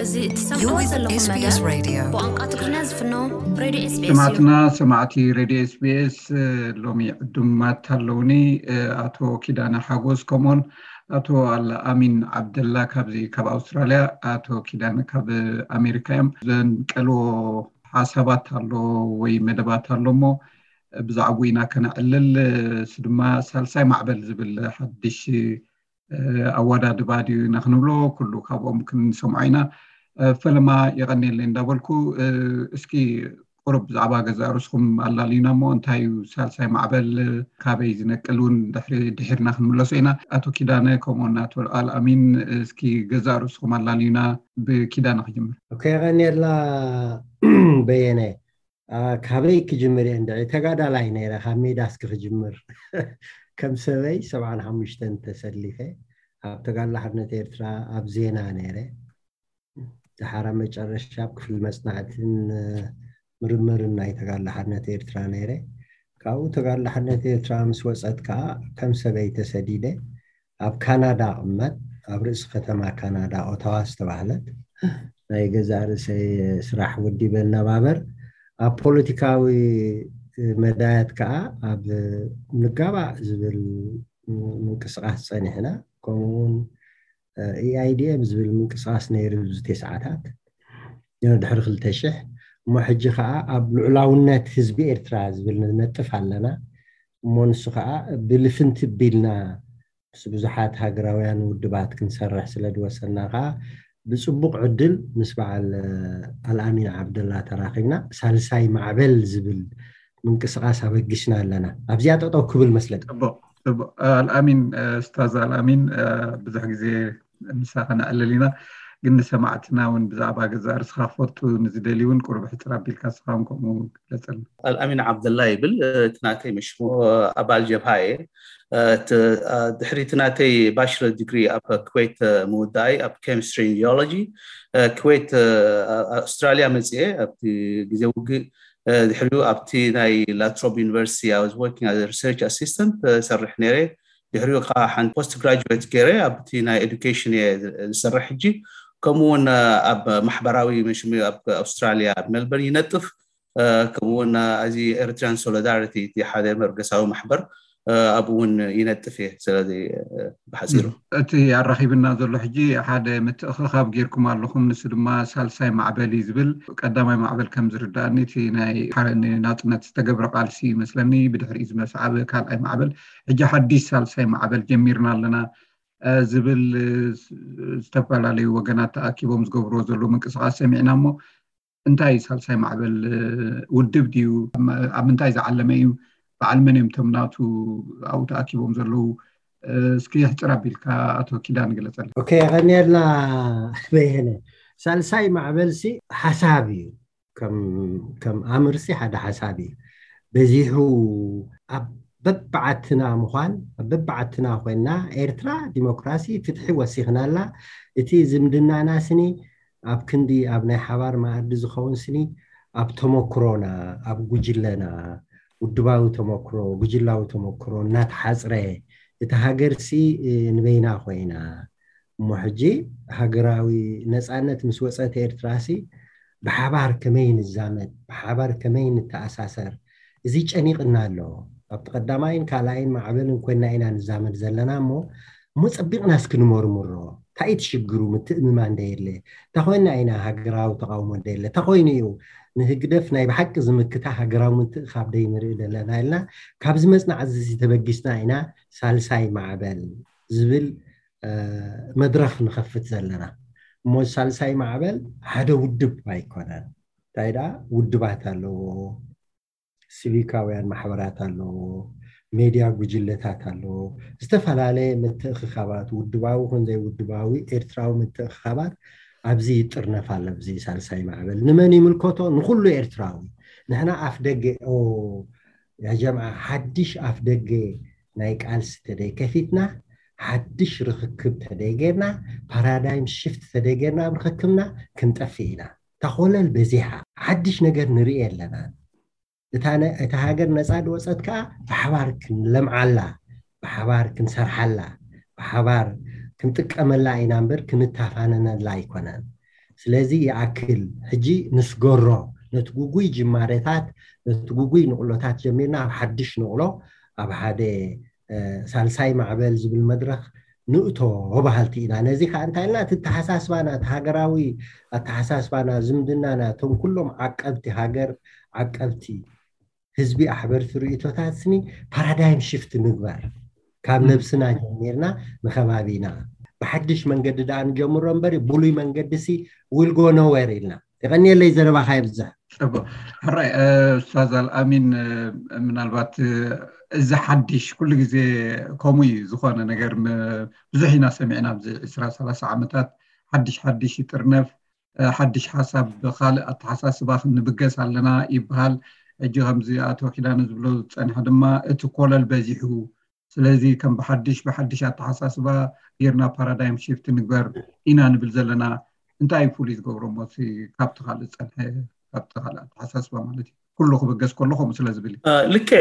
እዚ እትሰምዕዎ ዘለኹም መደብ ብቋንቋ ትግርኛ ዝፍኖ ሬድዮ ኤስቢኤስ እዩ። ሰማዕትና ሰማዕቲ ሬድዮ ኤስቢኤስ፣ ሎሚ ዕዱማት ኣለውኒ። ኣቶ ኪዳነ ሓጎስ ከምኡውን ኣቶ ኣልኣሚን ዓብደላ ካብዚ ካብ ኣውስትራልያ፣ ኣቶ ኪዳነ ካብ ኣሜሪካ እዮም። ዘንቀልዎ ሓሳባት ኣሎ ወይ መደባት ኣሎ እሞ ብዛዕባኡ ኢና ከነዕልል። እሱ ድማ ሳልሳይ ማዕበል ዝብል ሓድሽ ኣወዳድባ ድዩ ኢና ክንብሎ፣ ኩሉ ካብኦም ክንሰምዖ ኢና። ፈለማ የቐንየለይ እንዳበልኩ፣ እስኪ ቁሩብ ብዛዕባ ገዛእ ርእስኹም ኣላልዩና እሞ፣ እንታይ እዩ ሳልሳይ ማዕበል፣ ካበይ ዝነቅል እውን ድሕሪ ድሒርና ክንምለሶ ኢና። ኣቶ ኪዳነ ከምኡውን ኣቶ ኣልኣሚን፣ እስኪ ገዛእ ርእስኹም ኣላልዩና። ብኪዳነ ክጅምር። ኦኬ፣ የቐንየልና በየነ። ካበይ ክጅምር እየ እንድዒ? ተጋዳላይ ነይረ፣ ካብ ሜዳ እስኪ ክጅምር። ከም ሰበይ ሰብዓን ሓሙሽተን ተሰሊፈ ኣብ ተጋድሎ ሓርነት ኤርትራ ኣብ ዜና ነይረ። ደሓር መጨረሻ ኣብ ክፍሊ መጽናዕትን ምርምርን ናይ ተጋድሎ ሓርነት ኤርትራ ነይረ። ካብኡ ተጋድሎ ሓርነት ኤርትራ ምስ ወጸት ከኣ ከም ሰበይ ተሰዲደ ኣብ ካናዳ እቕመጥ። ኣብ ርእሲ ከተማ ካናዳ ኦታዋ ዝተባህለት ናይ ገዛእ ርእሰይ ስራሕ ወዲበ እናባበር ኣብ ፖለቲካዊ መዳያት ከኣ ኣብ ንጋባእ ዝብል ምንቅስቃስ ጸኒሕና። ከምኡውን ኢኣይዲኤም ዝብል ምንቅስቃስ ነይሩ ኣብዚ ተስዓታት ድሕሪ ክልተ ሽሕ። እሞ ሕጂ ከዓ ኣብ ልዑላውነት ህዝቢ ኤርትራ ዝብል ንነጥፍ ኣለና። እሞ ንሱ ከዓ ብልፍንቲ ቢልና ምስ ብዙሓት ሃገራውያን ውድባት ክንሰርሕ ስለ ዝወሰና ከዓ ብፅቡቕ ዕድል ምስ በዓል ኣልኣሚን ዓብደላ ተራኺብና ሳልሳይ ማዕበል ዝብል ምንቅስቃስ ኣበጊስና ኣለና። ኣብዚኣ ጠጠው ክብል መስለኒ። ፅቡቕ፣ ፅቡቕ። ኣልኣሚን፣ ኡስታዝ ኣልኣሚን፣ ብዙሕ ግዜ ምሳኻ ነዕልል ኢና፣ ግን ንሰማዕትና እውን ብዛዕባ ገዛእ ርእስኻ ክፈልጡ ንዝደልዩ እውን ቁሩብ ሕፅር ኣቢልካ ንስኻ እውን ከምኡ ግለፀልና። ኣልኣሚን ዓብደላ ይብል። እቲ ናተይ መሽሙ ኣባል ጀብሃ እየ። ድሕሪ እቲ ናተይ ባችለር ዲግሪ ኣብ ኩዌት ምውዳኣይ ኣብ ኬሚስትሪ ጂኦሎጂ ኩዌት ኣውስትራልያ መፅኤ ኣብቲ ግዜ ውግእ ድሕሪኡ ኣብቲ ናይ ላትሮብ ዩኒቨርሲቲ I was working as a research assistant ሰርሕ ነይረ። ድሕሪኡ ከዓ ሓንቲ ፖስት ግራጁዌት ገይረ ኣብቲ ናይ ኤዱኬሽን እየ ዝሰርሕ ሕጂ። ከምኡ እውን ኣብ ማሕበራዊ መሽሙ ኣብ ኣውስትራልያ ኣብ ሜልበርን ይነጥፍ። ከምኡ እውን እዚ ኤሪትሪያን ሶሊዳሪቲ እቲ ሓደ መበገሳዊ ማሕበር ኣብኡ እውን ይነጥፍ እየ። ስለዚ ብሓፂሩ እቲ ኣራኺብና ዘሎ ሕጂ ሓደ ምትእኽኻብ ጌርኩም ኣለኹም። ንሱ ድማ ሳልሳይ ማዕበል እዩ ዝብል። ቀዳማይ ማዕበል ከም ዝርዳእኒ እቲ ናይ ናፅነት ዝተገብረ ቃልሲ ይመስለኒ፣ ብድሕሪኡ ዝመሰዓበ ካልኣይ ማዕበል፣ ሕጂ ሓድሽ ሳልሳይ ማዕበል ጀሚርና ኣለና ዝብል ዝተፈላለዩ ወገናት ተኣኪቦም ዝገብርዎ ዘለዉ ምንቅስቃስ ሰሚዕና እሞ እንታይ እዩ ሳልሳይ ማዕበል? ውድብ ድዩ? ኣብ ምንታይ ዝዓለመ እዩ? በዓል መን እዮም እቶም ናቱ ኣብኡ ተኣኪቦም ዘለዉ? እስኪ ሕፅር ኣቢልካ ኣቶ ኪዳን ግለፀልና። ኦኬ፣ የቐንየልና በየነ። ሳልሳይ ማዕበልሲ ሓሳብ እዩ። ከም ኣምርሲ ሓደ ሓሳብ እዩ። በዚሑ ኣብ በብዓድትና ምዃን፣ ኣብ በብዓድትና ኮይንና ኤርትራ ዲሞክራሲ ፍትሒ ወሲኽናላ። እቲ ዝምድናና ስኒ ኣብ ክንዲ ኣብ ናይ ሓባር መኣዲ ዝኸውን ስኒ ኣብ ተመክሮና፣ ኣብ ጉጅለና፣ ውድባዊ ተመክሮ፣ ጉጅላዊ ተመክሮ እናተሓፅረ እቲ ሃገርሲ ንበይና ኮይና እሞ ሕጂ ሃገራዊ ነፃነት ምስ ወፀት ኤርትራሲ ብሓባር ከመይ ንዛመድ፣ ብሓባር ከመይ ንተኣሳሰር፣ እዚ ጨኒቕና ኣሎ። ኣብቲ ቀዳማይን ካልኣይን ማዕበልን ኮይና ኢና ንዛመድ ዘለና እሞ እሞ ፀቢቕና እስኪ ንመርምሮ። እንታይ እቲ ሽግሩ? ምትእምማን ደየለ እንተኮይና ኢና ሃገራዊ ተቃውሞ ደየለ እንተኮይኑ እዩ ንህግደፍ ናይ ብሓቂ ዝምክታ ሃገራዊ ምትእኻብ ደይንርኢ ዘለና ኢልና ካብዚ መፅናዕቲ እዚ ተበጊስና ኢና ሳልሳይ ማዕበል ዝብል መድረኽ ንኸፍት ዘለና። እሞ ሳልሳይ ማዕበል ሓደ ውድብ ኣይኮነን። እንታይ ደኣ ውድባት ኣለዎ፣ ሲቪካውያን ማሕበራት ኣለዎ፣ ሜድያ ጉጅለታት ኣለዎ፣ ዝተፈላለየ ምትእኽኻባት ውድባዊ ኮን ዘይውድባዊ ኤርትራዊ ምትእኽኻባት ኣብዚ ይጥርነፍ ኣሎ። ኣብዚ ሳልሳይ ማዕበል ንመን ይምልከቶ? ንኹሉ ኤርትራዊ። ንሕና ኣፍ ደገ ኦ ያጀምዓ ሓድሽ ኣፍ ደገ ናይ ቃልሲ ተደይ ከፊትና ሓድሽ ርኽክብ ተደይ ጌርና ፓራዳይም ሽፍት ተደይ ጌርና ኣብ ርኽክብና ክንጠፍእ ኢና። ተኾለል በዚሓ ሓድሽ ነገር ንርኢ ኣለና። እታ ሃገር ነፃ ድወፀት ከዓ ብሓባር ክንለምዓላ፣ ብሓባር ክንሰርሓላ፣ ብሓባር ክንጥቀመላ ኢና እምበር ክንታፋነነላ ኣይኮነን። ስለዚ ይኣክል፣ ሕጂ ንስገሮ፣ ነቲ ጉጉይ ጅማሬታት፣ ነቲ ጉጉይ ንቕሎታት ጀሚርና ኣብ ሓድሽ ንቕሎ፣ ኣብ ሓደ ሳልሳይ ማዕበል ዝብል መድረኽ ንእቶ በሃልቲ ኢና። ነዚ ከዓ እንታይ ኢልና፣ እቲ ኣተሓሳስባና፣ እቲ ሃገራዊ ኣተሓሳስባና፣ ዝምድናና፣ እቶም ኩሎም ዓቀብቲ ሃገር፣ ዓቀብቲ ህዝቢ ኣሕበርቲ ርእቶታት ስኒ ፓራዳይም ሽፍት ንግበር። ካብ ነብስና ጀሚርና ንከባቢና ብሓድሽ መንገዲ ደኣ ንጀምሮ እምበር፣ ብሉይ መንገዲ ሲ ዊል ጎ ኖዌር ኢልና። የቐንየለይ፣ ዘረባኻ ይብዝሕ። ጽቡቅ። ሕራይ ኡስታዝ ኣልኣሚን፣ ምናልባት እዚ ሓድሽ ኩሉ ግዜ ከምኡ እዩ ዝኾነ ነገር ብዙሕ ኢና ሰሚዕና ኣብዚ ዕስራ ሰላሳ ዓመታት ሓድሽ ሓድሽ ይጥርነፍ፣ ሓድሽ ሓሳብ ብካልእ ኣተሓሳስባ ክንብገስ ኣለና ይበሃል። ሕጂ ከምዚ ኣቶ ኪዳነ ዝብሎ ዝጸንሐ ድማ እቲ ኮለል በዚሑ፣ ስለዚ ከም ብሓድሽ ብሓድሽ ኣተሓሳስባ ጌርና ፓራዳይም ሽፍት ንግበር ኢና ንብል ዘለና። እንታይ እዩ ፍሉይ ዝገብሮ ሞሲ ካብቲ ካልእ ዝጸንሐ፣ ካብቲ ካልእ ኣተሓሳስባ ማለት እዩ? ኩሉ ክብገስ ከሎ ከምኡ ስለ ዝብል እዩ። ልክዕ፣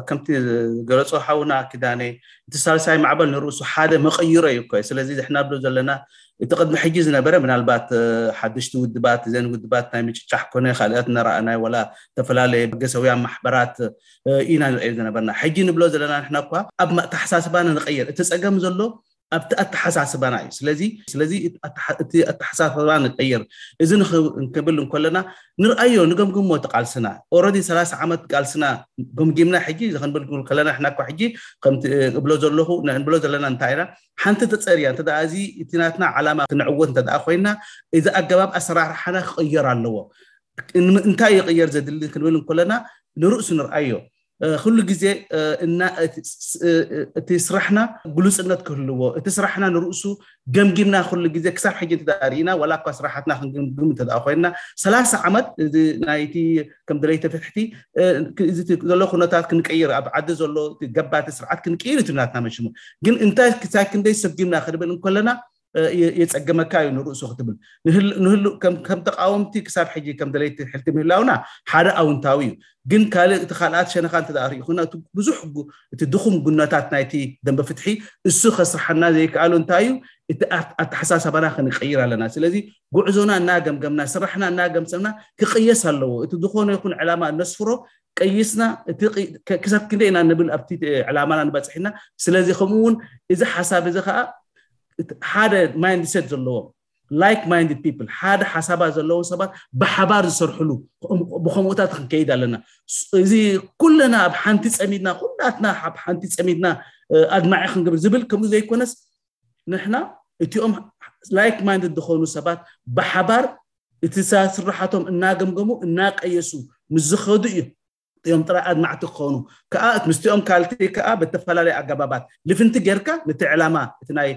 ከምቲ ገለጾ ሓውና ኪዳነ፣ እቲ ሳልሳይ ማዕበል ንርእሱ ሓደ መቐይሮ እዩ እኮ። ስለዚ ዝሕና ብሎ ዘለና እቲ ቅድሚ ሕጂ ዝነበረ ምናልባት ሓደሽቲ ውድባት፣ ዘን ውድባት ናይ ምጭጫሕ ኮነ ካልኦት እናረኣናይ፣ ወላ ዝተፈላለየ በገሰውያን ማሕበራት ኢና ንሪኦ ዝነበርና። ሕጂ ንብሎ ዘለና ንሕና እኳ ኣብ ኣተሓሳስባና ንቐየር። እቲ ጸገም ዘሎ ኣብቲ ኣተሓሳስባና እዩ። ስለዚ ስለዚ እቲ ኣተሓሳስባ ንቀይር። እዚ ንክብል እንከለና ንርኣዮ፣ ንገምግሞ እቲ ቃልስና። ኦረዲ ሰላሳ ዓመት ቃልስና ገምጊምና ሕጂ ክንብል ከለና፣ ንሕና እኳ ሕጂ ከምቲ እብሎ ዘለኹ ንብሎ ዘለና እንታይ ኢና፣ ሓንቲ ተጸርያ እንተ ደኣ እዚ እቲ ናትና ዓላማ ክንዕወት እንተ ደኣ ኮይና፣ እዚ ኣገባብ ኣሰራርሓና ክቕየር ኣለዎ። እንታይ ይቕየር ዘድሊ ክንብል እንከለና ንርእሱ ንርኣዮ። ኩሉ ግዜ እቲ ስራሕና ግሉፅነት ክህልዎ፣ እቲ ስራሕና ንርእሱ ገምጊምና ኩሉ ግዜ ክሳብ ሕጂ እንተዳርኢና፣ ዋላ እኳ ስራሓትና ክንግምግም እንተደኣ ኮይና፣ ሰላሳ ዓመት እዚ ናይቲ ከም ደለይቲ ፍትሕቲ ዘሎ ኩነታት ክንቅይር፣ ኣብ ዓዲ ዘሎ ገባቲ ስርዓት ክንቅይር እቲ ናትና መሽሙ። ግን እንታይ ክሳብ ክንደይ ሰጊምና ክንብል እንከለና የፀገመካ እዩ ንርእሱ ክትብል ንህሉ ከም ተቃወምቲ ክሳብ ሕጂ ከም ደለይቲ ሕልቲ ምህላውና ሓደ ኣውንታዊ እዩ። ግን ካልእ እቲ ካልኣት ሸነኻ እንተ ሪኢኹና እቲ ብዙሕ እቲ ድኹም ጉነታት ናይቲ ደንበ ፍትሒ እሱ ከስርሓና ዘይከኣሉ እንታይ እዩ? እቲ ኣተሓሳሰባና ክንቀይር ኣለና። ስለዚ ጉዕዞና እናገምገምና ስራሕና እናገምሰምና ክቅየስ ኣለዎ። እቲ ዝኾነ ይኹን ዕላማ ነስፍሮ ቀይስና ክሳብ ክንደይ ኢና ንብል ኣብቲ ዕላማና ንበፅሕ ኢና። ስለዚ ከምኡ እውን እዚ ሓሳብ እዚ ከዓ ሓደ ማይንድሰት ዘለዎም ላይክ ማይንድድ ፒፕል ሓደ ሓሳባት ዘለዎም ሰባት ብሓባር ዝሰርሕሉ ብከምኡታት ክንከይድ ኣለና። እዚ ኩለና ኣብ ሓንቲ ፀሚድና ኩላትና ኣብ ሓንቲ ፀሚድና ኣድማዒ ክንገብር ዝብል ከምኡ ዘይኮነስ ንሕና እቲኦም ላይክ ማይንድድ ዝኾኑ ሰባት ብሓባር እቲ ስራሓቶም እናገምገሙ እናቀየሱ ምስ ዝኸዱ እዩ እዮም ጥራይ ኣድማዕቲ ክኾኑ ከዓ ምስቲኦም ካልቲ ከዓ ብተፈላለዩ ኣገባባት ልፍንቲ ጌርካ ነቲ ዕላማ እቲ ናይ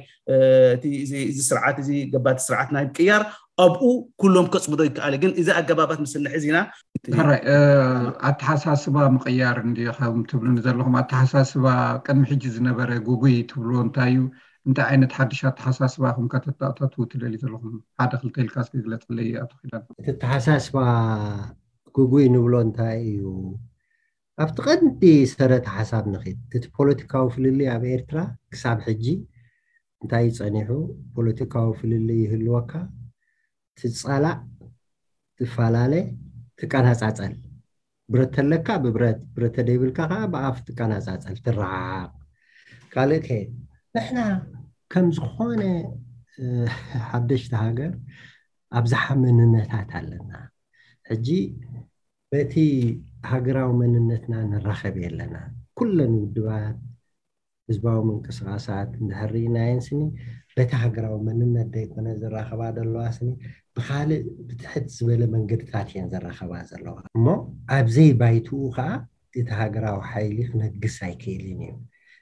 እዚ ስርዓት እዚ ገባቲ ስርዓት ናይ ምቅያር ኣብኡ ኩሎም ከፅምዶ ይከኣል። ግን እዚ ኣገባባት ምስ ንሕዝ ኢና ኣተሓሳስባ ምቅያር እንዲ ከም ትብሉኒ ዘለኹም ኣተሓሳስባ ቅድሚ ሕጂ ዝነበረ ጉጉይ ትብልዎ እንታይ እዩ? እንታይ ዓይነት ሓድሽ ኣተሓሳስባ ከም ከተተኣታትዉ ትደልዩ ዘለኹም ሓደ ክልተ ኢልካ እስኪ ግለፀለይ ኣቶ ኪዳን። እቲ ኣተሓሳስባ ጉጉይ ንብሎ እንታይ እዩ? ኣብቲ ቀንዲ ሰረተ ሓሳብ ንኺድ። እቲ ፖለቲካዊ ፍልልይ ኣብ ኤርትራ ክሳብ ሕጂ እንታይ እዩ ጸኒሑ? ፖለቲካዊ ፍልልይ ይህልወካ፣ ትጻላእ፣ ትፈላለ፣ ትቀናጻጸል። ብረት ተለካ ብብረት፣ ብረት ተደይብልካ ከዓ ብኣፍ ትቀናጻጸል፣ ትረሓሓቕ። ካልእ ከ ንሕና ከም ዝኾነ ሓደሽቲ ሃገር ኣብዝሓ መንነታት ኣለና። ሕጂ በቲ ሃገራዊ መንነትና ንራኸብ የለና። ኩለን ውድባት ህዝባዊ ምንቅስቃሳት እንድሕር ርኢናየን ስኒ በቲ ሃገራዊ መንነት ዘይኮነ ዝራኸባ ዘለዋ ስኒ ብካልእ ብትሕት ዝበለ መንገድታት እየን ዝራኸባ ዘለዋ። እሞ ኣብዘይ ባይትኡ ከዓ እቲ ሃገራዊ ሓይሊ ክነግስ ኣይክእልን እዩ።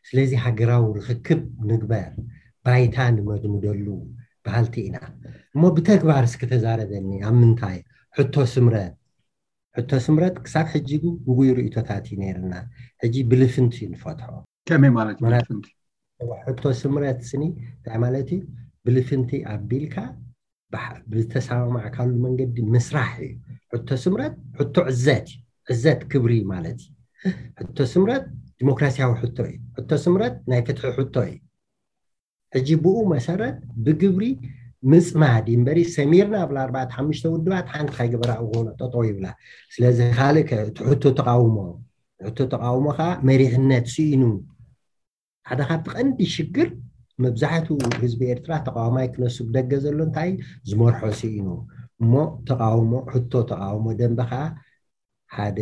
ስለዚ ሃገራዊ ርክክብ ንግበር፣ ባይታ ንመድምደሉ በሃልቲ ኢና። እሞ ብተግባር እስኪ ተዛረበኒ፣ ኣብ ምንታይ? ሕቶ ስምረት፣ ሕቶ ስምረት ክሳብ ሕጂ ጉጉይ ርእይቶታት እዩ ነይርና። ሕጂ ብልፍንቲ እዩ ንፈትሖ። ከመይ ማለት እዩ ብልፍንቲ? ሕቶ ስምረት ስኒ እንታይ ማለት እዩ? ብልፍንቲ ኣቢልካ ብተሰማማዕካሉ መንገዲ ምስራሕ እዩ። ሕቶ ስምረት ሕቶ ዕዘት እዩ። ዕዘት ክብሪ ማለት እዩ። ሕቶ ስምረት ዲሞክራሲያዊ ሕቶ እዩ። ሕቶ ስምረት ናይ ፍትሒ ሕቶ እዩ። ሕጂ ብኡ መሰረት ብግብሪ ምፅማድ እዩ እምበሪ፣ ሰሚርና ኣብላ ኣርባዕተ ሓሙሽተ ውድባት ሓንቲ ከይገበራ እኮ ጠጠው ይብላ። ስለዚ ካልእ ከ-፣ እቲ ሕቶ ተቃውሞ፣ ሕቶ ተቃውሞ ከዓ መሪሕነት ስኢኑ። ሓደ ካብቲ ቀንዲ ሽግር፣ መብዛሕትኡ ህዝቢ ኤርትራ ተቃዋማይ ክነሱ ብደገ ዘሎ እንታይ ዝመርሖ ስኢኑ። እሞ ተቃውሞ፣ ሕቶ ተቃውሞ ደንበ ከዓ ሓደ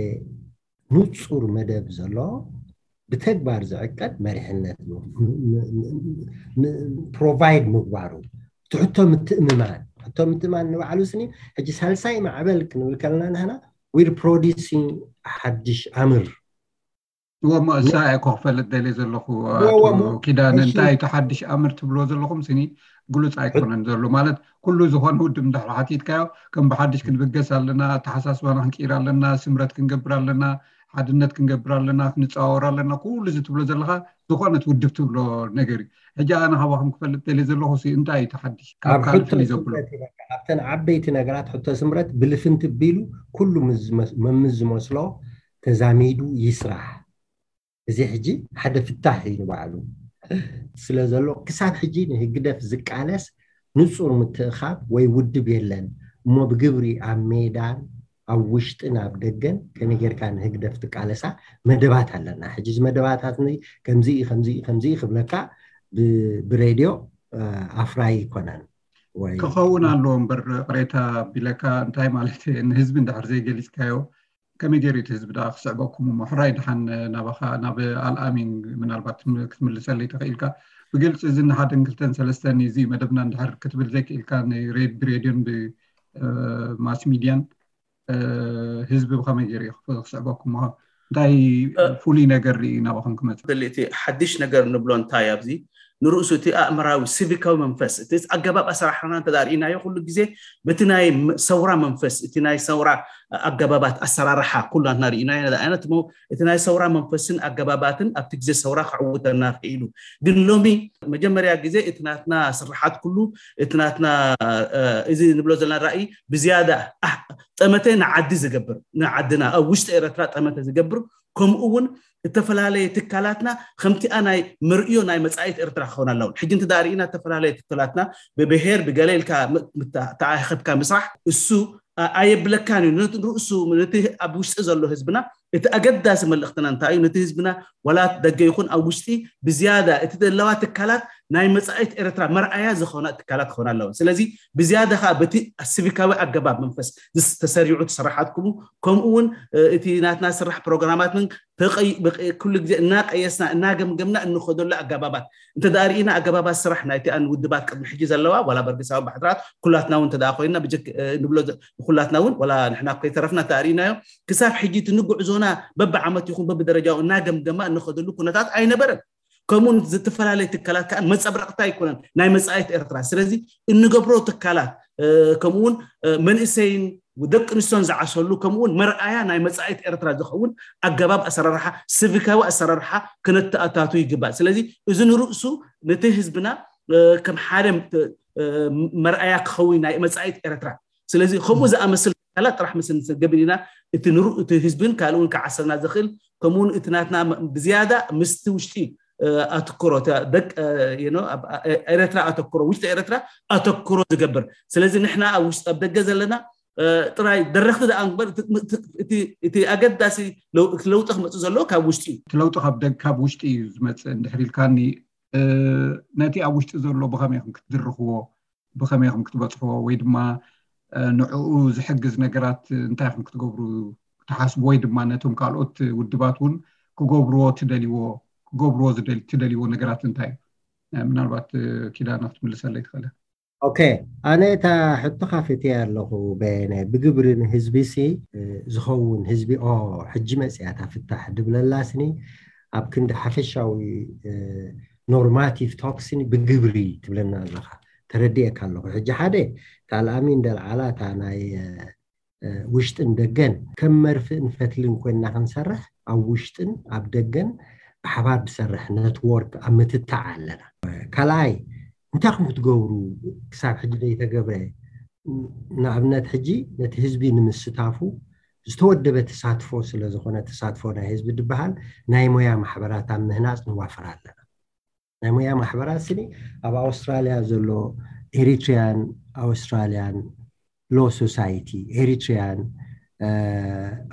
ንጹር መደብ ዘሎ፣ ብተግባር ዝዕቀድ መሪሕነት ፕሮቫይድ ምግባሩ፣ ትሕቶ ምትእምማን። ሕቶ ምትእምማን ንባዕሉ ስኒ፣ ሕጂ ሳልሳይ ማዕበል ክንብል ከለና ንሕና፣ ዊር ፕሮዲሲንግ ሓድሽ ኣምር። እሞ እሳ እኮ ክፈልጥ ደልየ ዘለኹ፣ እወ፣ ኣቶ እሞ፣ ኪዳነ፣ እሺ። እንታይ እቲ ሓድሽ ኣምር ትብሎ ዘለኹም ስኒ ግሉጽ ኣይኮነን ዘሎ። ማለት ኩሉ ዝኾነ ውድብ እንድሕር ሓቲትካዮ፣ ከም ብሓድሽ ክንብገስ ኣለና፣ ኣተሓሳስባና ክንቅይር ኣለና፣ ስምረት ክንገብር ኣለና፣ ሓድነት ክንገብር ኣለና፣ ክንጸዋወር ኣለና፣ ኩሉ እዚ ትብሎ ዘለኻ ዝኾነት ውድብ ትብሎ ነገር እዩ። ሕጂ ኣነ ካባኹም ክፈልጥ ደልየ ዘለኹ ሲ እንታይ እዩ እቲ ሓድሽ? ካብ ኣብ ካልእ ሕቶ ፍልይ ዘብሎ? ስምረት ኢና፣ ኣብተን ዓበይቲ ነገራት ሕቶ ስምረት ብልፍንቲ ቢሉ ኩሉ ምስ ዝመስ-፣ መምስ ዝመስሎ ተዛሚዱ ይስራሕ። እዚ ሕጂ ሓደ ፍታሕ እዩ ንባዕሉ ስለ ዘሎ፣ ክሳብ ሕጂ ንህግደፍ ዝቃለስ ንጹር ምትእኻብ ወይ ውድብ የለን። እሞ ብግብሪ ኣብ ሜዳን ኣብ ውሽጥን ኣብ ደገን ከመይ ጌርካ ንህግደፍ ትቃለሳ መደባት ኣለና። ሕጂ እዚ መደባታት እዚ ከምዚ እዩ፣ ከምዚ እዩ፣ ከምዚ እዩ ክብለካ ብ-፣ ብሬድዮ፣ እ፣ ኣፍራይ ይኮነን። ወይ ክኸውን ኣለዎ እምበር፣ ቅሬታ ቢለካ እንታይ ማለት እዩ? ንህዝቢ እንድሕር ዘይገሊጽካዮ ከመይ ገይሩ እቲ ህዝቢ ደኣ ክስዕበኩም? እሞ ሕራይ ድሓን ናባኻ፣ ናብ ኣልኣሚን ምናልባት ትም-፣ ክትምልሰለይ ተኽኢልካ። ብግልጺ እዚ ንሓደን ክልተን ሰለስተን እዚ መደብና እንድሕር ክትብል ዘይክኢልካ፣ ንሬድ-፣ ብሬድዮን ብ-፣ እ፣ ማስ ሚድያን፣ እ፣ ህዝቢ ብኸመይ ገይሩ እዩ ክፍ-፣ ክስዕበኩም? እንታይ እ፣ ፍሉይ ነገር ርኢ ናባኹም ክመጽእ? ደሊ እቲ ሓድሽ ነገር ንብሎ እንታይ ኣብዚ ንርእሱ እቲ ኣእምራዊ ሲቪካዊ መንፈስ፣ እቲ ኣገባብ ኣሰራርሓና እንተ ርኢናዮ፣ ኩሉ ግዜ በቲ ናይ ም-፣ ሰውራ መንፈስ፣ እቲ ናይ ሰውራ ኣገባባት ኣሰራርሓ ኩላትና ርኢናዮ። ንኣብነት እሞ እቲ ናይ ሰውራ መንፈስን ኣገባባትን ኣብቲ ግዜ ሰውራ ክዕውተና ክኢሉ። ግን ሎሚ መጀመርያ ግዜ እቲ ናትና ስርሓት ኩሉ፣ እቲ ናትና፣ እ፣ እዚ ንብሎ ዘለና ራእይ ብዝያዳ፣ ኣህ፣ ጠመተ ንዓዲ ዝገብር፣ ንዓድና ኣብ ውሽጢ ኤረትራ ጠመተ ዝገብር፣ ከምኡ እውን እተፈላለየ ትካላትና ከምቲኣ ናይ መርእዮ ናይ መጻኢት ኤርትራ ክኸውን ኣለውን። ሕጂ እንተ ርኢና እተፈላለየ ትካላትና ብብሄር ብገለ ኢልካ ም-፣ ምታ-፣ ተኣኸብካ ምስራሕ እሱ ኣ-፣ ኣየብለካን እዩ። ነቲ ርእሱ፣ ነቲ ኣብ ውሽጢ ዘሎ ህዝብና እቲ ኣገዳሲ መልእኽትና እንታይ እዩ? ነቲ ህዝብና ዋላ ደገ ይኹን ኣብ ውሽጢ ብዝያዳ እቲ ዘለዋ ትካላት ናይ መጻኢት ኤርትራ መርኣያ ዝኾና ትካላት ክኾና ኣለወን። ስለዚ ብዝያዳ ኸኣ በቲ ሲቪካዊ ኣገባብ መንፈስ ዝስ-፣ ተሰሪዑ ተሰራሓትኩሙ፣ ከምኡ እውን፣ እ፣ እቲ ናትና ስራሕ ፕሮግራማት ምን ተቐይ-፣ ብቐ-፣ ኩሉ ግዜ እናቀየስና እናገምገምና እንኸደሉ ኣገባባት እንተ ደኣ ርኢና፣ ኣገባባት ስራሕ ናይቲኣን ውድባት ቅድሚ ሕጂ ዘለዋ ዋላ በርግሳዊ ባሕድራት ኩላትና እውን እንተ ደኣ ኮይንና ብጀክ-፣ እ፣ ንብሎ ዘ-፣ ኩላትና እውን ዋላ ንሕና ከይተረፍና እንተ ርኢናዮ፣ ክሳብ ሕጂ እቲ ንጉዕዞና በብዓመት ይኹን በብደረጃኡ እናገምገማ እንኸደሉ ኩነታት ኣይነበረን። ከምኡውን ዝተፈላለየ ትካላት ከዓ መፀብረቕታ ኣይኮነን ናይ መፃኢት ኤርትራ። ስለዚ እንገብሮ ትካላት፣ እ፣ ከምኡውን፣ እ፣ መንእሰይን ደቂ ኣንስትዮን ዝዓሰሉ፣ ከምኡውን መርኣያ ናይ መፃኢት ኤርትራ ዝኸውን ኣገባብ ኣሰራርሓ፣ ሲቪካዊ ኣሰራርሓ ክነተኣታቱ ይግባእ። ስለዚ እዚ ንርእሱ ነቲ ህዝብና፣ እ፣ ከም ሓደ፣ እ፣ መርኣያ ክኸውን ናይ መፃኢት ኤርትራ። ስለዚ ከምኡ ዝኣመስል ትካላት ጥራሕ ምስ ንገብር ኢና እቲ ንሩ-፣ እቲ ህዝብን ካልእ እውን ክዓሰልና ዝኽእል፣ ከምኡውን እቲ ናትና ም-፣ ብዝያዳ ምስቲ ውሽጢ፣ እ፣ ኣትኩሮ፣ እታ ደቅ-፣ እ፣ you know፣ ኣብ፣ እ፣ ኤርትራ ኣተኩሮ፣ ውሽጢ ኤርትራ ኣተኩሮ ዝገብር። ስለዚ ንሕና ኣብ ውሽጢ፣ ኣብ ደገ ዘለና፣ እ፣ ጥራይ ደረኽቲ ደኣ እንግበር፣ እቲ፣ እቲ፣ እቲ፣ እቲ ኣገዳሲ ለው-፣ ለውጢ ክመጽእ ዘለዎ ካብ ውሽጢ እዩ። እቲ ለውጢ ካብ ደግ-፣ ካብ ውሽጢ እዩ ዝመጽእ እንድሕር ኢልካኒ፣ እ፣ ነቲ ኣብ ውሽጢ ዘሎ ብኸመይ ኢኹም ክትድርኽዎ፣ ብኸመይ ኢኹም ክትበጽሕዎ፣ ወይ ድማ፣ እ፣ ንዕኡ ዝሕግዝ ነገራት እንታይ ኢኹም ክትገብሩ ትሓስቡ፣ ወይ ድማ ነቶም ካልኦት ውድባት እውን ክገብርዎ ትደልይዎ፣ ክገብርዎ ዝደል-፣ ትደልይዎ ነገራት እንታይ እዩ? እ፣ ምናልባት፣ እ፣ ኪዳነ ክትምልሰለይ ትኽእል ኢኻ። ኦኬ፣ ኣነ እታ ሕቶ ካፊተያ ኣለኹ በየነ። ብግብሪ ንህዝቢ ሲ፣ እ፣ ዝኸውን ህዝቢ፣ ኦ፣ ሕጂ መጽያ እታ ፍታሕ ድብለላ ስኒ፣ ኣብ ክንዲ ሓፈሻዊ፣ እ፣ ኖርማቲቭ ቶክስኒ ብግብሪ ትብለና ኣለኻ። ተረዲኤካ ኣለኹ። ሕጂ ሓደ፣ እታ ኣልኣሚን ደልዓላ እታ ናይ፣ እ፣ እ፣ ውሽጥን ደገን ከም መርፍእን ፈትልን ኮይንና ክንሰርሕ፣ ኣብ ውሽጥን ኣብ ደገን ብሓባር ብሰርሕ ነትወርክ ኣብ ምትታዕ ኣለና። ካልኣይ፣ እንታይ ኢኹም ክትገብሩ ክሳብ ሕጂ ዘይተገብረ? ንኣብነት ሕጂ ነቲ ህዝቢ ንምስታፉ ዝተወደበ ተሳትፎ ስለ ዝኾነ፣ ተሳትፎ ናይ ህዝቢ ድበሃል ናይ ሞያ ማሕበራት ኣብ ምህናጽ ንዋፈር ኣለና። ናይ ሞያ ማሕበራት ስኒ ኣብ ኣውስትራልያ ዘሎ Eritrean Australian Law Society, Eritrean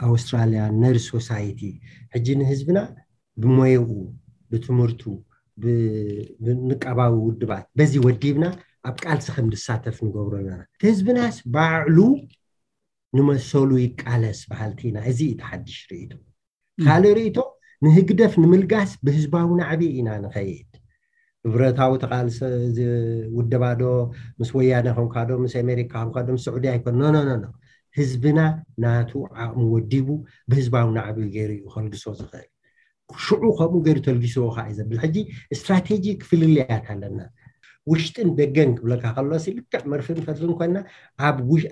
Australian Nurse Society ሕጂ ንህዝብና ብሞየኡ፣ ብትምህርቱ፣ ብንቃባዊ ውድባት በዚ ወዲብና ኣብ ቃልሲ ከም ዝሳተፍ ንገብሮ ኣለና። ህዝብናስ ባዕሉ ንመሰሉ ይቃለስ በሃልቲ ኢና። እዚ እዩ እቲ ሓድሽ ርእይቶ። ካልእ ርእይቶ፣ ንህግደፍ ንምልጋስ ብህዝባዊ ናዕቢ ኢና ንኸይድ። ብብረታዊ ተቓልሰ ውደባዶ፣ ምስ ወያነ ከምካዶ፣ ምስ ኣሜሪካ ከምካዶ፣ ምስ ስዑዲ ኣይኮን። ኖ ኖ ኖ ኖ። ህዝብና ናቱ ዓቕሚ ወዲቡ ብህዝባዊ ናዕቢ ገይሩ እዩ ከልግሶ ዝኽእል። ሽዑ ከምኡ ገይሩ ተልጊስዎ ከዓ እዩ ዘብል። ሕጂ ስትራቴጂክ ፍልልያት ኣለና። ውሽጥን ደገን ክብለካ ከሎሲ፣ ልክዕ መርፍን ፈትልን ኮይና፣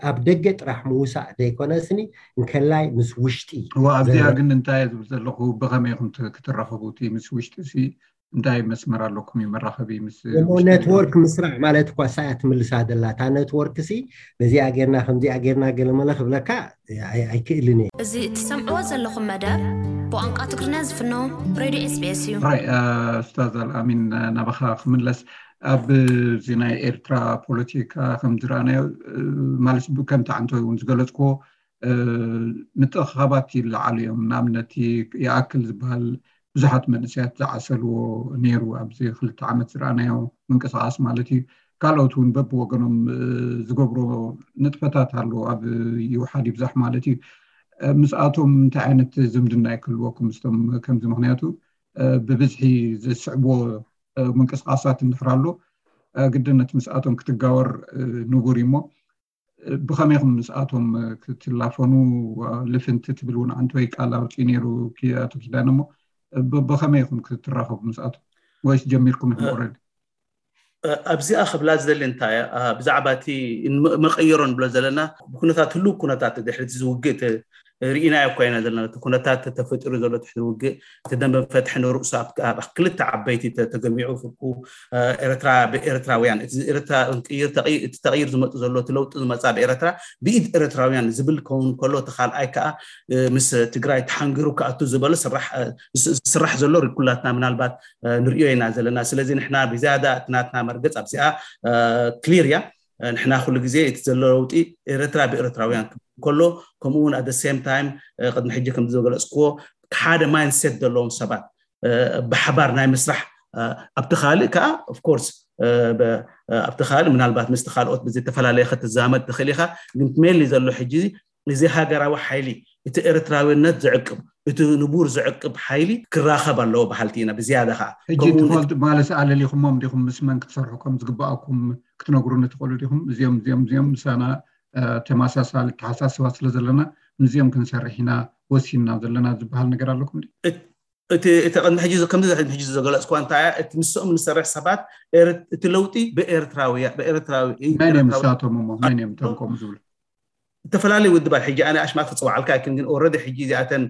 ኣብ ደገ ጥራሕ ምውሳእ ዘይኮነስኒ፣ እንከላይ ምስ ውሽጢ እዋ ኣብዚኣ ግን እንታይ ዝብል ዘለኹ፣ ብኸመይ ኢኹም ክትራኸቡ? እቲ ምስ ውሽጢ ሲ እንታይ መስመር ኣለኩም? መራኸቢ ምስ ኔትወርክ ምስራዕ ማለት እኳ ሳያ ትምልሳ ደላ። እታ ኔትወርክ ሲ በዚኣ ጌርና ከምዚኣ ጌርና ገለመለ ክብለካ ኣይክእልን እየ። እዚ እትሰምዕዎ ዘለኹም መደብ ብቋንቋ ትግርኛ ዝፍኖ ሬድዮ SBS እዩ። ኡስታዝ ኣልኣሚን፣ ናባኻ ክምለስ፣ ኣብዚ ናይ ኤርትራ ፖለቲካ ከም ዝረኣናዮ፣ ማለት ከምቲ ዓንቶ እውን ዝገለጽክዎ፣ ምጥኻባት ይለዓሉ እዮም። ንኣብነት፣ ይኣክል ዝበሃል ብዙሓት መንእሰያት ዝዓሰልዎ ነይሩ፣ ኣብዚ ክልተ ዓመት ዝረኣናዮ ምንቅስቃስ ማለት እዩ። ካልኦት እውን በብወገኖም ዝገብሮ ንጥፈታት ኣሎ፣ ኣብ ይውሓድ ይብዛሕ ማለት እዩ። ምስኣቶም እንታይ ዓይነት ዝምድና ይክልወኩም ምስቶም ከምዚ? ምክንያቱ ብብዝሒ ዝስዕብዎ ምንቅስቃሳት እንድሕር ኣሎ፣ ግድነት ምስኣቶም ክትጋወር ንቡር እዩ። እሞ ብኸመይ ኢኹም ምስኣቶም ክትላፈኑ? ልፍንቲ ትብል እውን ዓንተወይ ቃል ኣውፅኡ ነይሩ ኣቶ ኪዳነ። እሞ ብኸመይ ኢኹም ክትራኸቡ ምስኣቶም? ወይስ ጀሚርኩም ኢኹም ኦልሬዲ? ኣብዚኣ ክብላ ዝደሊ እንታይ፣ ብዛዕባ እቲ መቐየሮ ንብሎ ዘለና፣ ብኩነታት ህሉው ኩነታት ድሕሪ ዝውግእ ርኢናዮ እኳ ኢና ዘለና። እቲ ኩነታት ተፈጢሩ ዘሎ ትሕቲ ውግእ፣ እቲ ደንበ ፈትሒ ንርእሱ ኣብ ክልተ ዓበይቲ ተገሚዑ፣ ፍርቁ ኤርትራ ብኤርትራውያን፣ እቲ ኤርትራ ክንቅይር፣ እቲ ተቕይር ዝመጡ ዘሎ፣ እቲ ለውጢ ዝመፃ ብኤርትራ ብኢድ ኤርትራውያን ዝብል ክኸውን ከሎ፣ እቲ ካልኣይ ከዓ ምስ ትግራይ ተሓንጊሩ ክኣቱ ዝበሎ ዝስራሕ ዘሎ ኩላትና ምናልባት ንርእዮ ኢና ዘለና። ስለዚ ንሕና ብዝያዳ እቲ ናትና መርገፅ ኣብዚኣ ክሊር እያ። ንሕና ኩሉ ግዜ እቲ ዘሎ ለውጢ ኤርትራ ብኤርትራውያን ክብል ከሎ፣ ከምኡ እውን ኣደ ሴም ታይም ቅድሚ ሕጂ ከም ዝገለፅክዎ ሓደ ማይንድሴት ዘለዎም ሰባት ብሓባር ናይ ምስራሕ፣ ኣብቲ ካልእ ከዓ ኦፍኮርስ ኣብቲ ካልእ ምናልባት ምስቲ ካልኦት ብዝተፈላለየ ክትዛመድ ትኽእል ኢኻ። ግን ሜንሊ ዘሎ ሕጂ እዚ ሃገራዊ ሓይሊ፣ እቲ ኤርትራዊነት ዝዕቅብ፣ እቲ ንቡር ዝዕቅብ ሓይሊ ክራኸብ ኣለዎ በሃልቲ ኢና። ብዝያዳ ከዓ ሕጂ ትፈልጡ ማለት ኣለሊኹሞም ዲኹም? ምስ መን ክትሰርሑ ከም ዝግባኣኩም ክትነግሩኒ ትኽእሉ ዲኹም? እዚኦም እዚኦም እዚኦም ምሳና ተመሳሳሊ ተሓሳስባ ስለ ዘለና ምስዚኦም ክንሰርሕ ኢና ወሲንና ዘለና ዝበሃል ነገር ኣለኩም? እቲ እቲ ቅድሚ ሕጂ ከምዚ ሕጂ ዝገለፅኳ እንታይ እያ? እቲ ምስኦም ንሰርሕ ሰባት እቲ ለውጢ ብኤርትራዊ ብኤርትራዊ መን እዮም ንሳቶም እሞ? መን እዮም እቶም ከምኡ ዝብሉ? ዝተፈላለዩ ውድባት፣ ሕጂ ኣነ ኣሽማት ክፅውዓልካ ኣይክን፣ ግን ኦረዲ ሕጂ እዚኣተን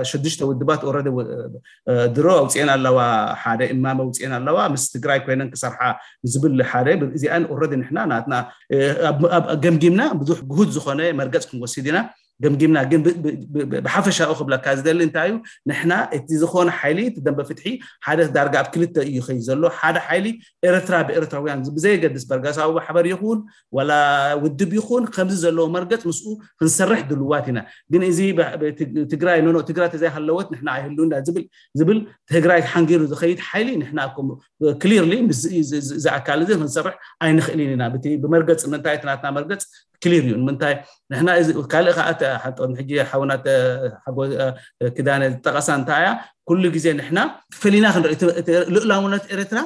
ሽዱሽተ ውድባት ኦረዲ ድሮ ኣውፅኤን ኣለዋ፣ ሓደ እማመ ኣውፅኤን ኣለዋ፣ ምስ ትግራይ ኮይነን ክሰርሓ ዝብል ሓደ። እዚኣን ኦረዲ ንሕና ናትና ገምጊምና ብዙሕ ግሁድ ዝኾነ መርገፅ ክንወስድ ኢና። ገምጊምና። ግን ብሓፈሻኡ ክብለካ ዝደሊ እንታይ እዩ፣ ንሕና እቲ ዝኾነ ሓይሊ፣ እቲ ደንበ ፍትሒ ሓደ ዳርጋ ኣብ ክልተ እዩ ይኸይድ ዘሎ። ሓደ ሓይሊ ኤርትራ ብኤርትራውያን ብዘየገድስ በርጋሳዊ ማሕበር ይኹን ዋላ ውድብ ይኹን ከምዚ ዘለዎ መርገፅ ምስኡ ክንሰርሕ ድልዋት ኢና። ግን እዚ ትግራይ ኖኖ ትግራይ ተዘይሃለወት ንሕና ኣይህልውና ዝብል ዝብል ትግራይ ሓንጊሩ ዝኸይድ ሓይሊ ንሕና ክሊርሊ እዚ ኣካል እዚ ክንሰርሕ ኣይንኽእልን ኢና። ብመርገፅ ምንታይ እቲ ናትና መርገፅ ክሊር እዩ። ንምንታይ ንሕና እዚ ካልእ ከዓ ሓጦ ሕጂ ሓውና ኪዳነ ዝጠቐሳ እንታይ እያ፣ ኩሉ ግዜ ንሕና ፈሊና ክንርኢ ልእላውነት ኤርትራ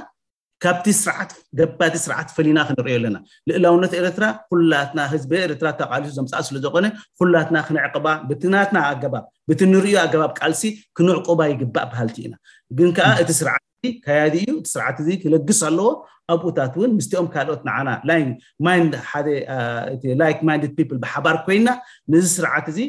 ካብቲ ስርዓት ገባቲ ስርዓት ፈሊና ክንርእዮ ኣለና። ልእላውነት ኤርትራ ኩላትና ህዝቢ ኤርትራ ተቃሊሱ ዘምፅኣ ስለዝኮነ ኩላትና ክንዕቅባ ብትናትና ኣገባብ ብትንርእዮ ኣገባብ ቃልሲ ክንዕቁባ ይግባእ በሃልቲ ኢና። ግን ከዓ እቲ ስርዓት ከያዲ እዩ። እቲ ስርዓት እዚ ክለግስ ኣለዎ። ኣብኡታት እውን ምስቲኦም ካልኦት ንዓና ማይንድ ሓደ ላይክ ማይንድድ ፒፕል ብሓባር ኮይና ነዚ ስርዓት እዚ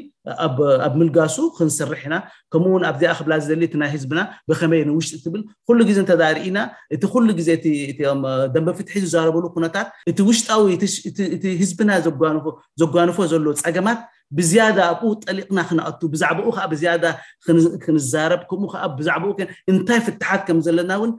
ኣብ ምልጋሱ ክንሰርሕ ኢና። ከምኡ እውን ኣብዚኣ ክብላ ዝደሊ እቲ ናይ ህዝብና ብከመይ ንውሽጢ ትብል ኩሉ ግዜ እንተዳርኢና እቲ ኩሉ ግዜ እቲኦም ደንበ ፍትሒ ዝዛረበሉ ኩነታት እቲ ውሽጣዊ እቲ ህዝብና ዘጓንፎ ዘሎ ፀገማት ብዝያዳ ኣብኡ ጠሊቕና ክንኣቱ ብዛዕባኡ ከዓ ብዝያዳ ክንዛረብ ከምኡ ከዓ ብዛዕባኡ እንታይ ፍትሓት ከም ዘለና እውን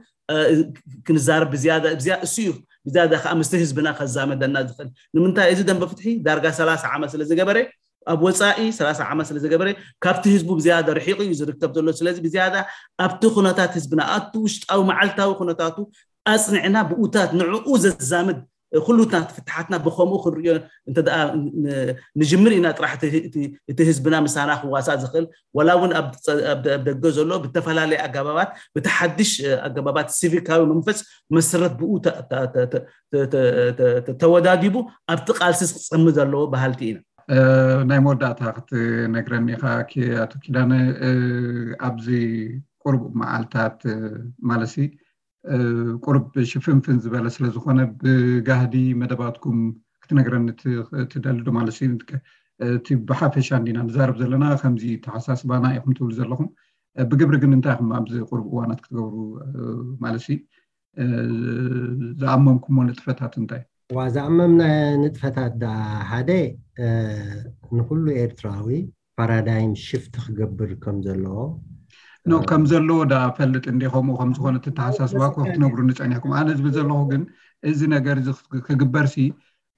ክንዛረብ ብዝያዳ እሱ እዩ። ብዝያዳ ከዓ ምስቲ ህዝብና ከዛመደና ዝኽእል። ንምንታይ? እዚ ደንበ ፍትሒ ዳርጋ ሰላሳ ዓመት ስለ ዝገበረ፣ ኣብ ወፃኢ ሰላሳ ዓመት ስለ ዝገበረ፣ ካብቲ ህዝቡ ብዝያዳ ርሒቑ እዩ ዝርከብ ዘሎ። ስለዚ ብዝያዳ ኣብቲ ኩነታት ህዝብና፣ ኣብቲ ውሽጣዊ መዓልታዊ ኩነታቱ ኣፅኒዕና ብኡታት ንዕኡ ዘዛምድ ኩሉታት ፍትሓትና ብከምኡ ክንሪኦ እንተ ደኣ ን- ንጅምር ኢና፣ ጥራሕ እቲ እቲ- እቲ ህዝብና ምሳና ክዋሳእ ዝኽእል፣ ወላ እውን ኣብ ጸ- ኣብ ደ- ኣብ ደገ ዘሎ ብተፈላለየ ኣገባባት፣ ብቲ ሓድሽ ኣገባባት ሲቪካዊ መንፈስ መሰረት ብኡ ተ- ተ- ተ- ተ- ተ- ተ- ተ- ተወዳዲቡ ኣብቲ ቃልሲ ክጸምድ ኣለዎ በሃልቲ ኢና። ናይ መወዳእታ ክትነግረኒ ኢኻ ኪ- ኣቶ ኪዳነ፣ ኣብዚ ቁሩብ መዓልታት ማለሲ ቁሩብ ሽፍንፍን ዝበለ ስለ ዝኾነ፣ ብጋህዲ መደባትኩም ክትነግረኒ ትደሊ ዶ ማለት እዩ? እቲ ብሓፈሻ እንዲና ንዛረብ ዘለና፣ ከምዚ ተሓሳስባና ኢኹም ትብሉ ዘለኹም። ብግብሪ ግን እንታይ ኢኹም ኣብዚ ቁሩብ እዋናት ክትገብሩ ማለት እዩ ዝኣመምኩሞ ንጥፈታት እንታይ? ዋ ዝኣመምና ንጥፈታት ዳ ሓደ ንኩሉ ኤርትራዊ ፓራዳይም ሽፍት ክገብር ከም ዘለዎ ኖ ከም ዘለዎ ዳ ፈልጥ እንዲ ከምኡ ከም ዝኾነ ተተሓሳስባ እኮ ክትነግሩኒ ጸኒሕኩም። ኣነ ዝብል ዘለኹ ግን እዚ ነገር እዚ ክግበር ሲ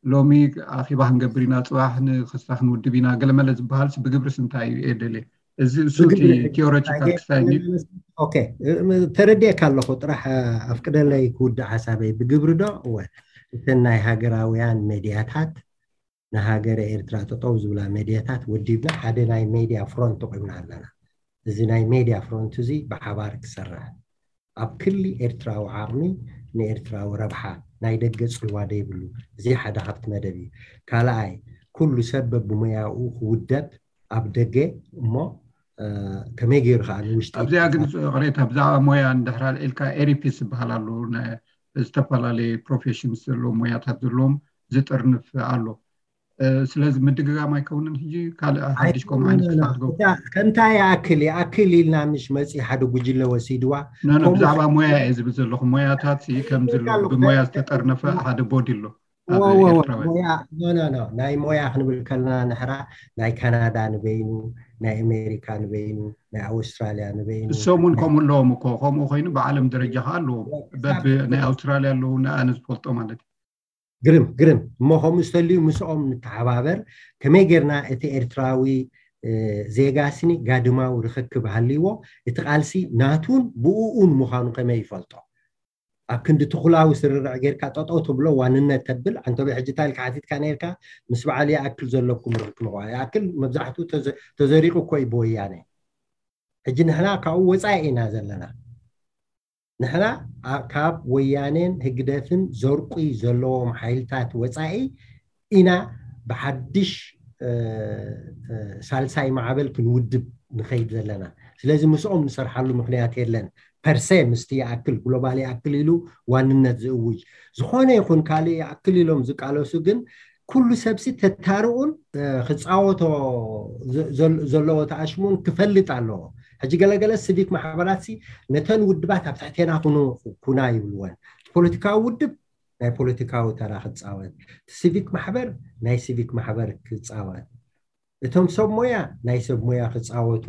ሎሚ ኣኺባ ክንገብር ኢና፣ ጽባሕ ንክስታ ክንውድብ ኢና፣ ገለመለ ዝበሃል ሲ ብግብርስ እንታይ እዩ የደልየ? እዚ እሱ ቲዮሬቲካል ክሳይ ኦኬ ተረዲኤካ ኣለኹ። ጥራሕ ኣፍቅደለይ ክውድእ ሓሳበይ። ብግብሪ ዶ እወ እተን ናይ ሃገራውያን ሜድያታት ንሃገረ ኤርትራ ጠጠው ዝብላ ሜድያታት ወዲብና ሓደ ናይ ሜድያ ፍሮንት ኣቑምና ኣለና። እዚ ናይ ሜድያ ፍሮንት እዚ ብሓባር ክሰርሕ ኣብ ክሊ ኤርትራዊ ዓቕሚ ንኤርትራዊ ረብሓ ናይ ደገ ጽልዋ ደይብሉ። እዚ ሓደ ካብቲ መደብ እዩ። ካልኣይ ኩሉ ሰብ በብሞያኡ ክውደብ ኣብ ደገ እሞ ከመይ ገይሩ ከዓ ንውሽጢ ኣብዚኣ ግን ቅሬታ ብዛዕባ ሞያ እንድሕር ኣልዒልካ ኤሪፒስ ዝበሃል ኣሎ ዝተፈላለየ ፕሮፌሽንስ ዘለዎ ሞያታት ዘለዎም ዝጥርንፍ ኣሎ። ስለዚ ምድግጋም ኣይከውንን ሕጂ ካልእ ሓድሽ ከምኡ ዓይነት ክሳብ ትገብሩ ከምታ ይኣክል ይኣክል ኢልና ምሽ መፂ ሓደ ጉጅለ ወሲድዋ ኖ ኖ ከምኡ ብዛዕባ ሞያ እየ ዝብል ዘለኹ ሞያታት ሲ ከም ዝሎ ብሞያ ዝተጠርነፈ ሓደ ቦዲ ኣሎ ኣብ ወወወ ኤርትራውያን ሞያ ኖ ኖ ኖ ናይ ሞያ ክንብል ከለና ንሕራ ናይ ካናዳ ንበይኑ ናይ ኣሜሪካ ንበይኑ ናይ ኣውስትራልያ ንበይኑ እሶም እውን ከምኡ ኣለዎም እኮ ከምኡ ኮይኑ ብዓለም ደረጃ ከዓ ኣለዎም በብ ናይ ኣውስትራልያ ኣለዉ ንኣነ ዝፈልጦ ማለት እዩ ግርም ግርም እሞ ከምኡ ዝተልዩ ምስኦም ንተሓባበር ከመይ ጌርና እቲ ኤርትራዊ ዜጋ ስኒ ጋድማዊ ርክክብ ሃልይዎ እቲ ቃልሲ ናቱን ብኡኡን ምዃኑ ከመይ ይፈልጦ ኣብ ክንዲ ትኩላዊ ስርርዕ ጌርካ ጠጠው ትብሎ ዋንነት ተብል ኣንቶቢ ሕጂ እንታይ ኢልካ ሓቲትካ ነርካ ምስ በዓል ይኣክል ዘለኩም ርክክብ ይኣክል መብዛሕትኡ ተዘሪቁ እኮ እዩ ብወያነ ሕጂ ንሕና ካብኡ ወፃኢ ኢና ዘለና ንሕና ካብ ወያኔን ህግደፍን ዘርቁይ ዘለዎም ሓይልታት ወፃኢ ኢና ብሓድሽ ሳልሳይ ማዕበል ክንውድብ ንኸይድ ዘለና ስለዚ ምስኦም ንሰርሓሉ ምክንያት የለን ፐርሰ ምስቲ ይኣክል ግሎባል ይኣክል ኢሉ ዋንነት ዝእውጅ ዝኾነ ይኹን ካልእ ይኣክል ኢሎም ዝቃለሱ ግን ኩሉ ሰብሲ ተታርኡን ክፃወቶ ዘለዎ ተኣሽሙን ክፈልጥ ኣለዎ ሕጂ ገለገለ ሲቪክ ማሕበራት ሲ ነተን ውድባት ኣብ ትሕቴና ኩኑ ኩና ይብልወን ፖለቲካዊ ውድብ ናይ ፖለቲካዊ ተራ ክፃወት ሲቪክ ማሕበር ናይ ሲቪክ ማሕበር ክፃወት እቶም ሰብ ሞያ ናይ ሰብ ሞያ ክፃወቱ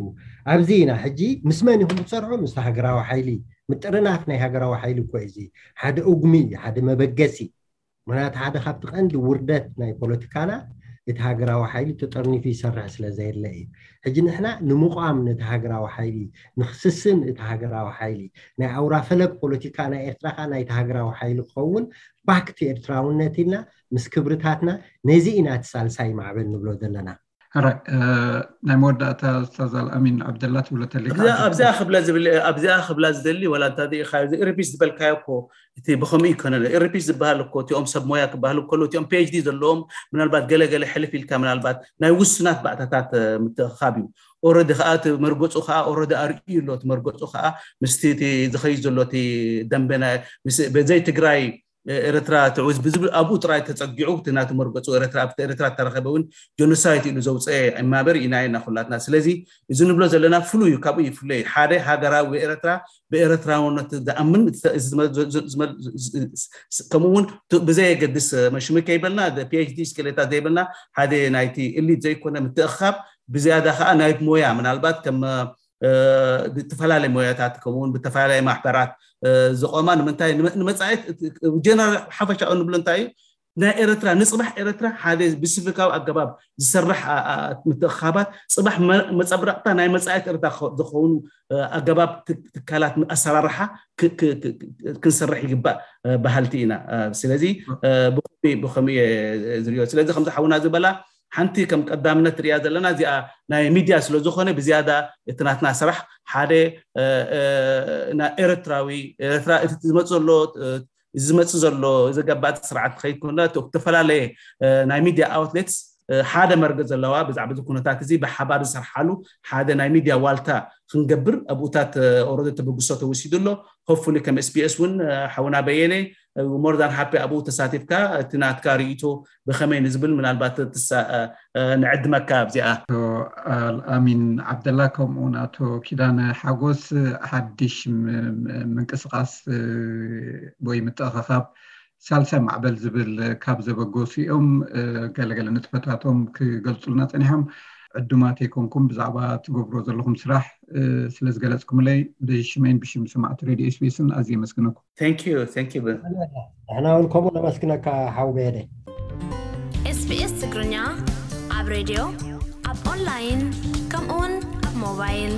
ኣብዚ ኢና ሕጂ ምስ መን ኢኹም ትሰርሑ ምስ ሃገራዊ ሓይሊ ምጥርናፍ ናይ ሃገራዊ ሓይሊ እኮ እዚ ሓደ እጉሚ ሓደ መበገሲ ምክንያቱ ሓደ ካብቲ ቀንዲ ውርደት ናይ ፖለቲካና እቲ ሃገራዊ ሓይሊ ተጠርኒፉ ይሰርሕ ስለ ዘየለ እዩ ሕጂ ንሕና ንምቋም ነቲ ሃገራዊ ሓይሊ ንክስስን እቲ ሃገራዊ ሓይሊ ናይ ኣውራ ፈለግ ፖለቲካ ናይ ኤርትራ ከዓ ናይቲ ሃገራዊ ሓይሊ ክኸውን ባክቲ ኤርትራውነት ኢልና ምስ ክብርታትና ነዚ ኢና እቲ ሳልሳይ ማዕበል ንብሎ ዘለና ሕራይ ናይ መወዳእታ ስታዝ ኣልኣሚን ዓብደላ ትብሎ ተሊካ ኣብዚኣ ክብላ ዝብል ኣብዚኣ ክብላ ዝደሊ ወላ እንታ ኢኻ እዚ ኢርፒስ ዝበልካዮ እኮ እቲ ብኸምኡ ይኮነ ኢርፒስ ዝበሃል እኮ እቲኦም ሰብ ሞያ ክበሃል ከሎ እቲኦም ፒኤችዲ ዘለዎም ምናልባት ገለገለ ሕልፍ ኢልካ ምናልባት ናይ ውሱናት ባእታታት ምትእኻብ እዩ ኦረዲ ከዓ እቲ መርገፁ ከዓ ኦረዲ ኣርእዩ ኣሎ እቲ መርገፁ ከዓ ምስቲ እቲ ዝኸይድ ዘሎ እቲ ደንበ በዘይ ትግራይ ኤረትራ ትዕውዝ ብዝብል ኣብኡ ጥራይ ተፀጊዑ እቲ ናቲ መርገፁ ኤረትራ ኣብቲ ኤረትራ እተረኸበ እውን ጀኖሳይት ኢሉ ዘውፀአ እማበር ኢና ኢና ኩላትና ስለዚ እዚ ንብሎ ዘለና ፍሉይ እዩ ካብኡ ይፍለይ ሓደ ሃገራዊ ኤረትራ ብኤረትራውነት ዝኣምን ከምኡ እውን ብዘየገድስ መሽሚ ከይበልና ፒኤችዲ ስኬሌታ ዘይበልና ሓደ ናይቲ እሊት ዘይኮነ ምትእኻብ ብዝያዳ ከዓ ናይ ሞያ ምናልባት ከም ብተፈላለየ ሞያታት ከምኡውን ብተፈላለየ ማሕበራት ዝቆማ ንምንታይ ንመፃኢት ጀነራል ሓፈሻኡ ንብሎ እንታይ እዩ ናይ ኤርትራ ንፅባሕ ኤርትራ ሓደ ብስፍካዊ ኣገባብ ዝሰርሕ ምትእኻባት ፅባሕ መፀብረቕታ ናይ መፃኢት ኤርትራ ዝኸውን ኣገባብ ትካላት ኣሰራርሓ ክንሰርሕ ይግባእ በሃልቲ ኢና ስለዚ ብኸምኡ ዝሪኦ ስለዚ ከምዚ ሓውና ዝበላ ሓንቲ ከም ቀዳምነት ሪያ ዘለና እዚኣ ናይ ሚድያ ስለዝኾነ ብዝያዳ እቲ ናትና ስራሕ ሓደ ናይ ኤርትራዊ ኤርትራ እቲ ዝመፅ ዘሎ ዝመፅ ዘሎ ዘገባቲ ስርዓት ከይኮነ ዝተፈላለየ ናይ ሚድያ ኣውትሌትስ ሓደ መርገ ዘለዋ ብዛዕባ እዚ ኩነታት እዚ ብሓባር ዝሰርሓሉ ሓደ ናይ ሚድያ ዋልታ ክንገብር ኣብኡታት ኦረደ ተበግሶ ተወሲዱ ኣሎ ሆፍሊ ከም ስቢኤስ እውን ሓውና በየነ more than happy ኣብኡ ተሳቲፍካ እቲ ናትካ ርእይቶ ብኸመይ ንዝብል ምናልባት ንዕድመካ ኣብዚኣ ኣሚን ዓብደላ ከምኡውን ኣቶ ኪዳነ ሓጎስ ሓድሽ ምንቅስቃስ ወይ ምትእኸኻብ ሳልሳይ ማዕበል ዝብል ካብ ዘበገሱ እዮም ገለገለ ንጥፈታቶም ክገልፁልና ፀኒሖም ዕዱማት ኣይኮንኩም ብዛዕባ ትገብሮ ዘለኹም ስራሕ ስለዝገለፅኩምለይ ብሽመይን ብሽም ሰማዕቲ ሬድዮ ኤስቢኤስን ኣዝየ የመስግነኩም ንሕና እውን ከምኡ ነመስግነካ ሓው በየደ ኤስቢኤስ ትግርኛ ኣብ ሬድዮ ኣብ ኦንላይን ከምኡውን ኣብ ሞባይል